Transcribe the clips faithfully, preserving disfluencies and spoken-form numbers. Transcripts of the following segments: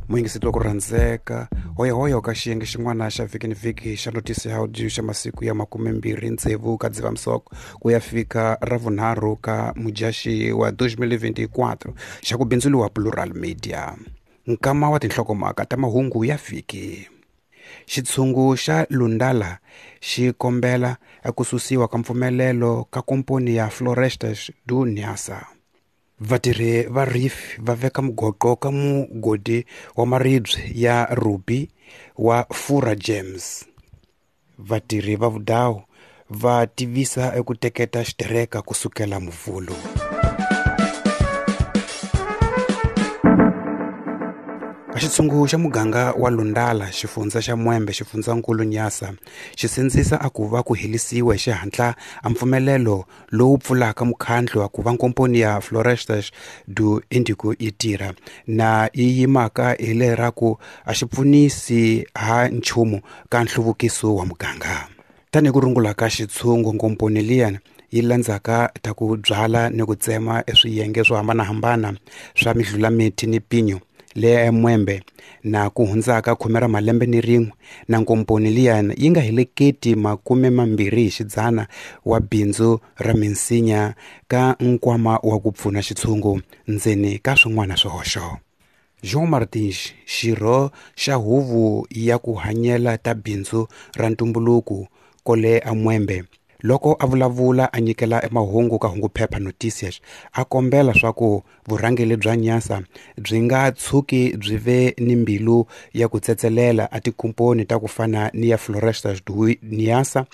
Muyingiseti wa ku rhandzeka hoyahoya ka xiyenge xin'wana xa vhiki ni vhiki xa Notisi Audio xa masiku ya makumembirhi tsevu ka Dzivamisoko ku ya fika ra vunharhu ka Mudyaxihi wa twenty twenty-four xa ku bindzuriwa Plural Media. Nkama wa tinhlokomhaka ta mahungu ya vhiki. Xitshungu xa Lundala xi kombela ku susiwa ka mpfumelelo ka komponi ya Florestas do Niassa. Vatirhi va Reef va veka mugoqo ka mugodi wa maribye ya Ruby wa Fura Gems. Vatirhi va Vudawu va tivisa eku teketa xitereka kusukela Muvhulu. Xitshungu xa muganga wa Lundala, xifundza xa Mwembe, xifundzankulu Nyasa, xi sindzisa a ku va ku helisiwa hi xihatla a mpfumelelo lowu pfulaka mukhandlu wa ku va nkomponi ya Florestas do Indico yi tirha na yi yimaka hi leraku a xi pfunisi ha nchumu ka nhluvukiso wa muganga. Tanihi ku rungula ka xitshungu, nkomponi liyani yi landzaka ta ku byala ni ku tsema eswiyenge swo hambanahambana swa midlulamiti ni pinyo le Mwembe na ku hundzaka khume ra malembe ni rin'we na nkomponi liyani yi nga heleketi makume mambirhi hi xidzana wa bindzu ra minsinya ka nkwama wa ku pfuna xitshungu ndzeni ka swin'wana swihoxo. João Martins, xirho xa huvo ya ku hanyela ta bindzu ra ntumbuluko kole a Mwembe, loko a vulavula a nyikela emahungu ka hunguphepha Noticias, a kombela swa ku vurhangeri bya Nyasa byi nga tshuki byi ve ni mbilu ya ku tsetselela a tikomponi ta ku fana ni ya Florestas do Niassa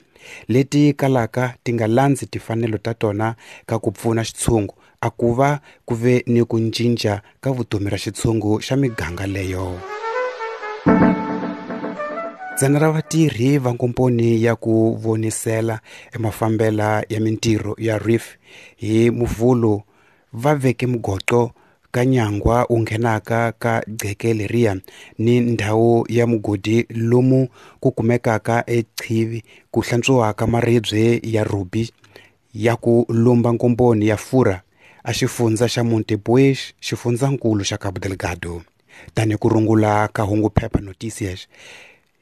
leti kalaka ti nga landzi timfanelo ta tona ka ku pfuna xitshungu a ku va ku ve ni ku cinca ka vutomi ra xitshungu xa miganga leyo. Dzana ra vatirhi va nkomponi ya ku vonisela emafambela ya mintirho ya Reef hi Muvhulu va veke mugoqo ka nyangwa wu nghenaka ka gceke leriya ni ndhawu ya mugodi lomu ku kumekaka echivi ku hlantswiwaka maribye ya ruby ya ku lumba nkomponi ya Fura a xifundza xa Montepuez, xifundzankulu xa Cabo Delgado. Tanihi ku rungula ka hunguphepha Noticias,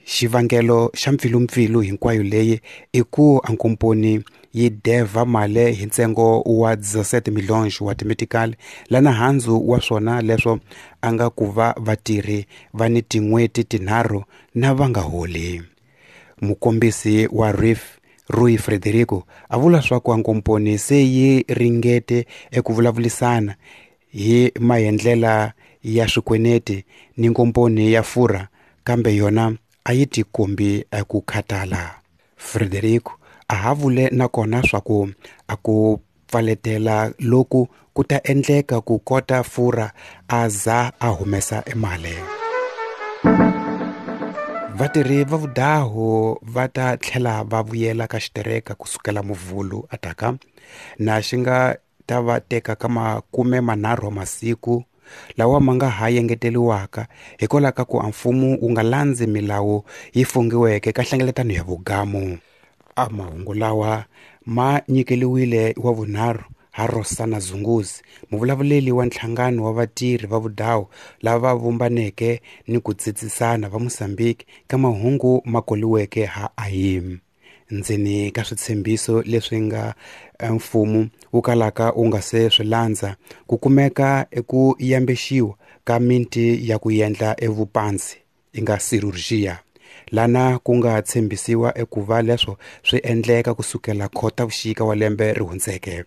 xivangelo xa mpfilumpfilu hinkwayo leyi i ku a nkomponi yi devha mali hi ntsengo wa dezesete milhões wa timetikali lana handzu wa swona leswo a nga ku va vatirhi va ni tin'hweti tinharhu na va nga holi. Mukombisi wa Reef Rui Frederico a vula swa ku a nkomponi se yi ringete eku vulavulisana hi maendlela ya swikweneti ni nkomponi ya Fura, kambe yona a yi tikombi eku khatala. Frederico a ha vule nakona swa ku a ku pfaletela loku ku ta endleka ku kota Fura a za a humesa emali. Vatirhi va Vudawu va ta tlhela va vuyela ka xitereka kusukela Muvhulu ataka na xi nga ta va teka ka makume manharhu wa masiku lawa ma nga ha yengeteriwaka hikwalaho ka ku a mfumo wu nga landzi milawu yi fungiweke ka nhlengeletano ya vugamu. A mahungu lawa ma nyikeliwile wa vunharhu ha Rosana Zunguzi, muvulavuleli wa nhlangano wa vatirhi va Vudawu lava vumbaneke ni ku tsitsisana va Mozambique ka mahungu ma koliweke ha A I M. Ndzeni ka switshembiso leswi nga mfumo wu kalaka wu nga se swi landza ku kumeka eku yambexiwa ka minti ya ku endla evupanzi yi nga cirurgia, lana ku nga tshembisiwa eku va leswo swi endleka kusukela Khotavuxika wa lembe ri hundzeke.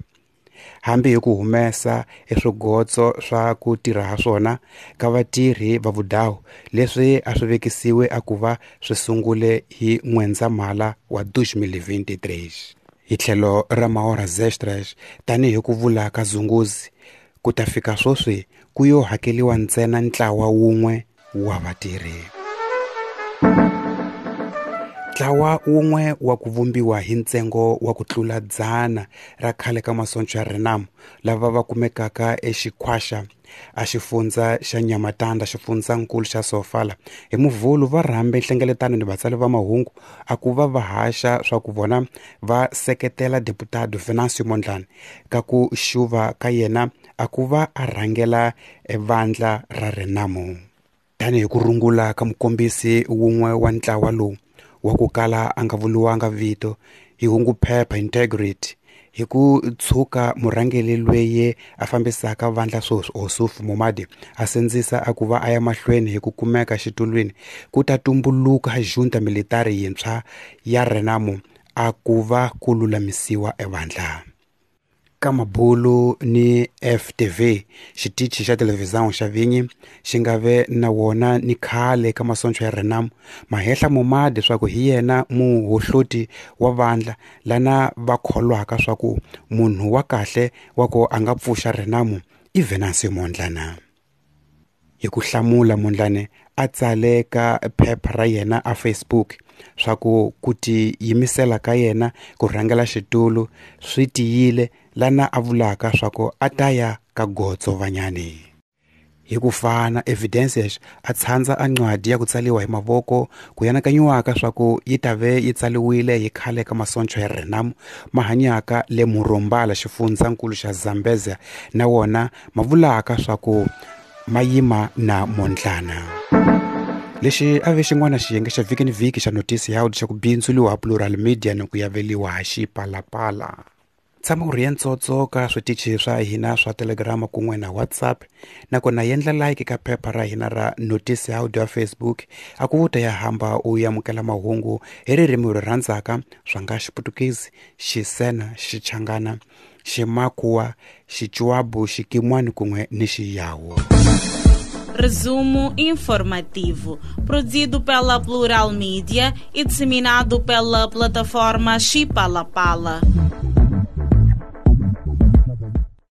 Hambi hi ku humesa eswigotso swa ku tirha ha swona ka vatirhi va Vudawu leswi a swi vekisiwe a ku va swi sungule hi N'wendzamhala wa twenty twenty-three. Hi tlhelo ra mahoras extras, tanihi ku vula ka Zunguzi, ku ta fika sweswi ku yo hakeriwa ntsena ntlawa wun'we wa vatirhi. Ntlawa wun'we wa ku vumbiwa hi ntsengo wa ku tlula dzana ra khale ka masoncho ya Renamo lava va kumekaka eXikhwaxa a xifundza xa Nhamatanda, xifundzankulu xa Sofala, hi Muvhulu va rhambe nhlengeletano ni vatsari va mahungu a ku va va haxa swa ku vona va seketela deputado Venancio Mondlane ka ku xuva ka yena a ku va a rhangela vandla ra Renamo. Tanihi ku rungula ka mukombisi wun'we wa ntlawa lowu wa ku kala a nga vuriwanga vito hi hunguphepha Integrity hi ku tshuka murhangeri loyi a fambisaka vandla sweswi Ossuf Momade a sindzisa a ku va a ya mahlweni hi ku kumeka xitulwini ku ta tumbuluka junta militari yintshwa ya Renamo a ku va ku lulamisiwa evandla. Ka mabulu ni F T V xitichi xa televhizão xa vinyi xi nga ve na wona ni khale ka masoncho ya Renamo mahehla Momade swa ku hi yena muhohloti wa vandla lana va kholwaka swa ku munhu wa kahle wa ku a nga pfuxa Renamo i Venancio Mondlane. Hi ku hlamula Mondlane a tsale ka phepha ra yena a Facebook swa ku ku tiyimisela ka yena ku rhangela xitulu swi tiyile lana a vulaka swa ku a ta ya ka gotso vanyani. Hi ku fana Evidences a tshandza a ncwadi ya ku tsaliwa hi mavoko ku yanakanyiwaka swa ku yi ta ve yi tsaliwile hi khale ka masoncho ya Renamo ma hanyaka le Murombala xifundzankulu xa Zambezia na wona ma vulaka swa ku ma yima na Mondlane. Lexi a ve xin'wana xiyenge xa vhiki ni vhiki xa notisi ya xa ku bindzuliwa Plural Media ni ku yaveliwa ha Xipalapala. Tshama u ri ya ntsotso ka switichi swa hina swa Telegram kun'we na WhatsApp nakona yendla like ka phepha ra hina ra notisi ya audio ya Facebook a ku vuta ya hamba u amukela mahungu hi ririmi ri rhandzaka swa nga Xiputukezi, Xisena, Xichangana, Ximakhuwa, Xichuabu, Xikimwani kun'we ni Xiyawu. Resumo informativo, produzido pela Plural Media e disseminado pela plataforma Xipalapala.